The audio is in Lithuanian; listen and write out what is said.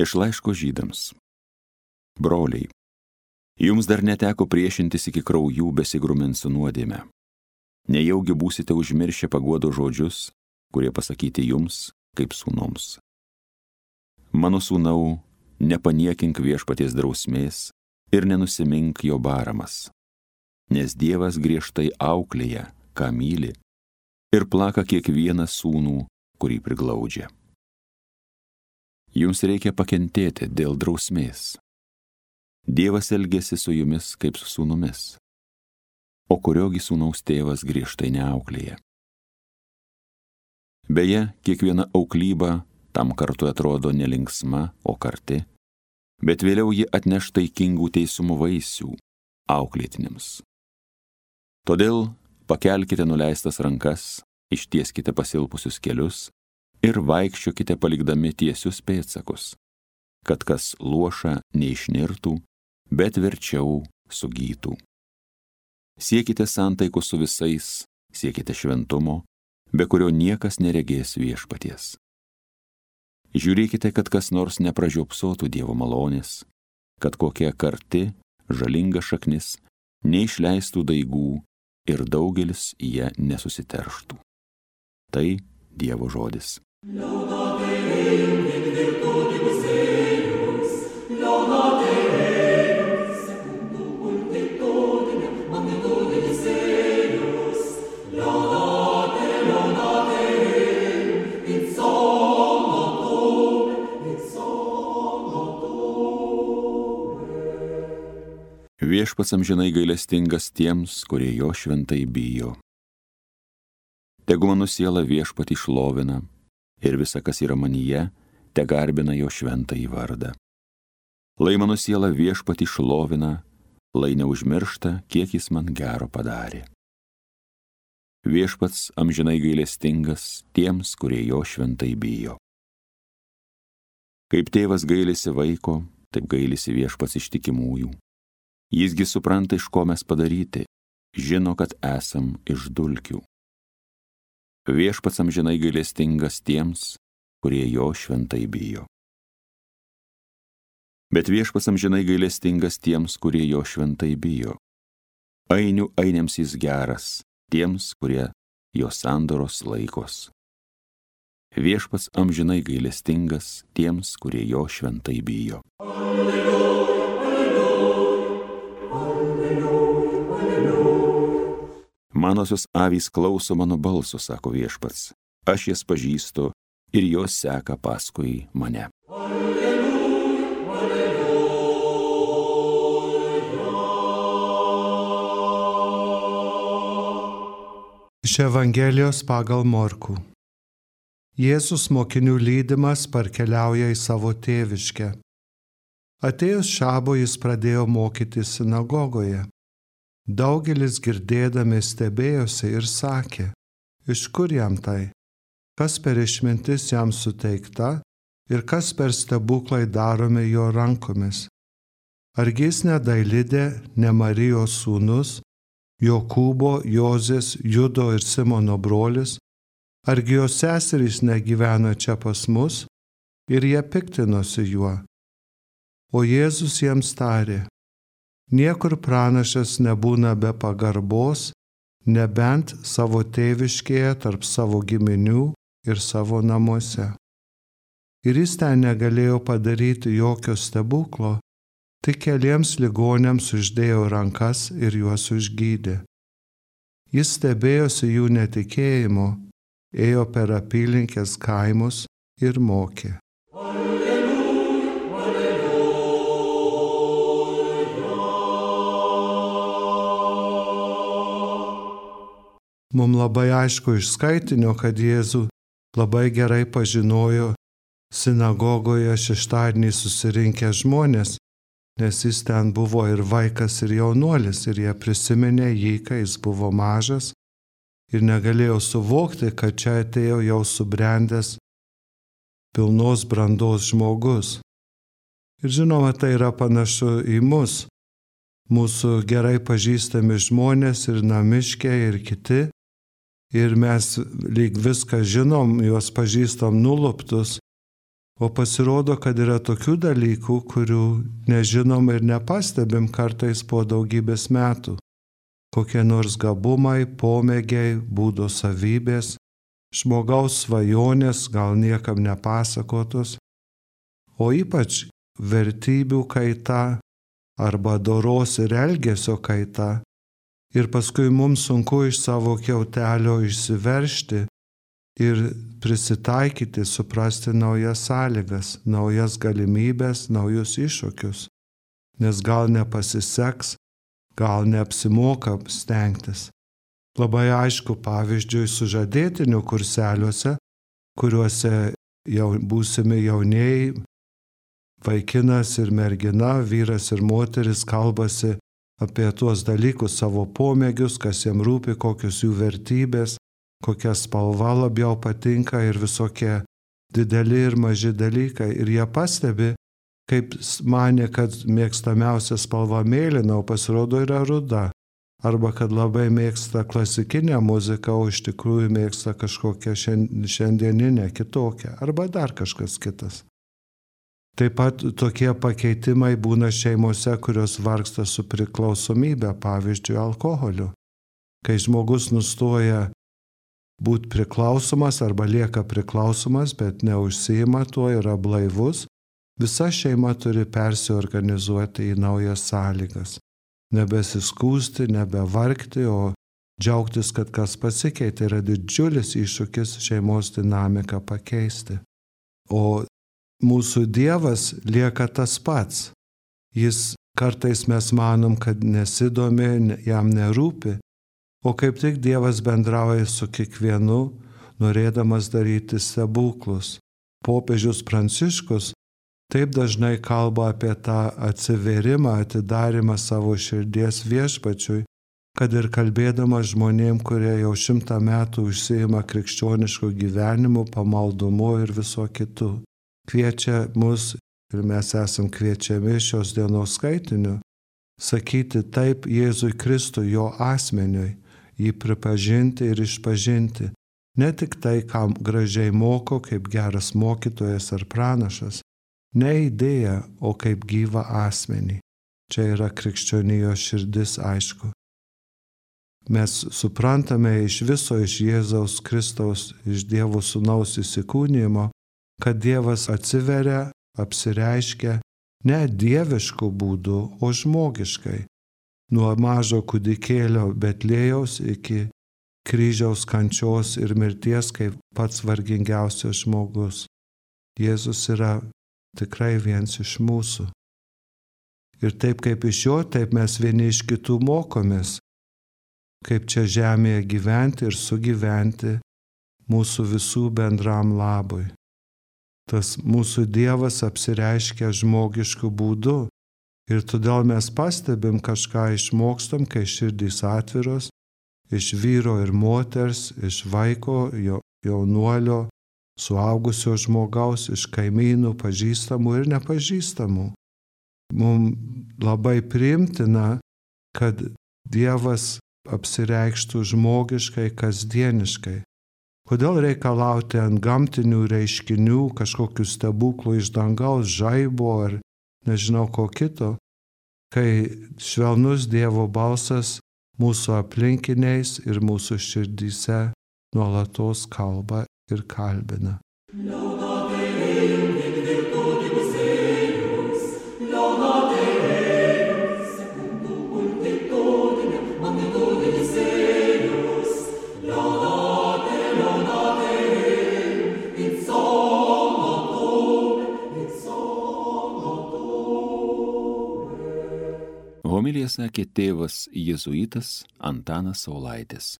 Iš laiško Žydams. Broliai, jums dar neteko priešintis iki kraujų besigrumint su nuodėme. Nejaugi būsite užmiršę paguodo žodžius, kurie pasakyti jums kaip sūnoms. Mano sūnau, nepaniekink viešpaties drausmės ir nenusimink jo baramas, nes Dievas griežtai auklėja, ką myli, ir plaka kiekvieną sūnų, kurį priglaudžia. Jums reikia pakentėti dėl drausmės. Dievas elgiasi su jumis kaip su sūnumis, o kuriogi sūnaus tėvas griežtai neauklėja. Beje, kiekviena auklyba tam kartu atrodo nelinksma, o karti, bet vėliau ji atneš taikingų teisumo vaisių auklėtiniams. Todėl pakelkite nuleistas rankas, ištieskite pasilpusius kelius ir vaikščiokite palikdami tiesius pėdsakus, kad kas luoša neišnirtų, bet verčiau sugytų. Siekite santaikos su visais, siekite šventumo, be kurio niekas neregės viešpaties. Žiūrėkite, kad kas nors nepražiopsotų Dievo malonės, kad kokia karti, žalinga šaknis neišleistų daigų ir daugelis jie nesusiterštų. Tai Dievo žodis. Viešpats amžinai gailestingas tiems, kurie jo šventai bijo. Tegu mano siela viešpatį šlovina ir visa, kas yra manyje, te garbina jo šventąjį vardą. Lai mano siela viešpatį šlovina, lai neužmiršta, kiek jis man gero padarė. Viešpats amžinai gailestingas tiems, kurie jo šventai bijo. Kaip tėvas gailisi vaiko, taip gailisi viešpats ištikimųjų. Jisgi supranta, iš ko mes padaryti, žino, kad esam iš dulkių. Viešpats amžinai gailestingas tiems, kurie jo šventai bijo. Bet viešpats amžinai gailestingas tiems, kurie jo šventai bijo. Ainių ainiams jis geras, tiems, kurie jo sandoros laikos. Viešpats amžinai gailestingas tiems, kurie jo šventai bijo. Manosios avys klauso mano balso, sako viešpats. Aš jas pažįstu ir jos seka paskui mane. Iš Evangelijos pagal Morkų. Jėzus mokinių lydimas parkeliauja į savo tėviškę. Atėjus šabui jis pradėjo mokyti sinagogoje. Daugelis girdėdami stebėjosi ir sakė, iš kur jam tai, kas per išmintis jam suteikta ir kas per stebuklai daromi jo rankomis. Argi jis ne Dailidė, ne Marijos sūnus, Jokūbo, Jozės, Judo ir Simono brolis, argi jo seserys negyvena čia pas mus, ir jie piktinosi juo. O Jėzus jiems tarė, niekur pranašas nebūna be pagarbos, nebent savo tėviškėje tarp savo giminių ir savo namuose. Ir jis ten negalėjo padaryti jokio stebuklo, tik keliems ligoniams uždėjo rankas ir juos užgydė. Jis stebėjosi jų netikėjimu, ėjo per apylinkės kaimus ir mokė. Mums labai aišku iš skaitinio, kad Jėzų labai gerai pažinojo sinagogoje šeštadienį susirinkę žmonės, nes jis ten buvo ir vaikas, ir jaunuolis, ir jie prisiminė jį, kai jis buvo mažas ir negalėjo suvokti, kad čia atėjo jau subrendęs pilnos brandos žmogus. Ir žinoma, tai yra panašu į mus, mūsų gerai pažįstami žmonės ir namiškiai ir kiti. Ir mes lyg viską žinom, juos pažįstam nuluptus, O pasirodo, kad yra tokių dalykų, kurių nežinom ir nepastebim kartais po daugybės metų. Kokie nors gabumai, pomėgiai, būdo savybės, žmogaus svajonės, gal niekam nepasakotos, o ypač vertybių kaita arba doros ir elgesio kaita. Ir paskui mums sunku iš savo kiautelio išsiveržti ir prisitaikyti, suprasti naujas sąlygas, naujas galimybės, naujus iššūkius. Nes gal nepasiseks, gal neapsimoka stengtis. Labai aišku pavyzdžiui sužadėtinių kurseliuose, kuriuose jau būsimi jaunieji, vaikinas ir mergina, vyras ir moteris kalbasi apie tuos dalykus, savo pomėgius, kas jiems rūpi, kokios jų vertybės, kokia spalva labiau patinka ir visokie dideli ir maži dalykai. Ir jie pastebi, kaip manė, kad mėgstamiausia spalva mėlyna, o pasirodo yra ruda. Arba kad labai mėgsta klasikinę muziką, o iš tikrųjų mėgsta kažkokią šiandieninę kitokią. Arba dar kažkas kitas. Taip pat tokie pakeitimai būna šeimose, kurios vargsta su priklausomybė, pavyzdžiui, alkoholiu. Kai žmogus nustoja būti priklausomas arba lieka priklausomas, bet neužsiima tuo, yra blaivus, visa šeima turi persiorganizuoti į naujas sąlygas. Nebesiskųsti, nebevargti, o džiaugtis, kad kas pasikeitė, yra didžiulis iššūkis šeimos dinamiką pakeisti. O mūsų Dievas lieka tas pats. Jis kartais mes manom, kad nesidomi, jam nerūpi, o kaip tik Dievas bendrauja su kiekvienu, norėdamas daryti stebuklus. Popiežius Pranciškus taip dažnai kalba apie tą atsivėrimą, atidarimą savo širdies Viešpačiui, kad ir kalbėdamas žmonėm, kurie jau 100 metų užsiima krikščionišku gyvenimu, pamaldumu ir viso kitu. Kviečia mus, ir mes esam kviečiami šios dienos skaitiniu, sakyti taip Jėzui Kristui, jo asmeniui, jį pripažinti ir išpažinti. Ne tik tai, kam gražiai moko, kaip geras mokytojas ar pranašas, ne idėja, o kaip gyvą asmenį. Čia yra krikščionijos širdis, aišku. Mes suprantame iš viso, iš Jėzaus Kristaus, iš Dievo Sūnaus įsikūnijimo, kad Dievas atsiveria, apsireiškia ne dieviškų būdų, o žmogiškai. Nuo mažo kūdikėlio Betlėjaus iki kryžiaus kančios ir mirties kaip pats vargingiausias žmogus. Jėzus yra tikrai viens iš mūsų. Ir taip kaip iš jo, taip mes vieni iš kitų mokomės, kaip čia žemėje gyventi ir sugyventi mūsų visų bendram labui. Tas mūsų Dievas apsireiškia žmogiškų būdų ir todėl mes pastebim kažką išmokstam, kai širdys atviros, iš vyro ir moters, iš vaiko, jaunuolio, suaugusio žmogaus, iš kaimynų, pažįstamų ir nepažįstamų. Mums labai priimtina, kad Dievas apsireikštų žmogiškai, kasdieniškai. Kodėl reikalauti ant gamtinių reiškinių, kažkokių stebuklų iš dangaus, žaibo ar nežinau ko kito, kai švelnus Dievo balsas mūsų aplinkiniais ir mūsų širdyse nuolatos kalba ir kalbina. Homiliją sakė tėvas jėzuitas Antanas Saulaitis.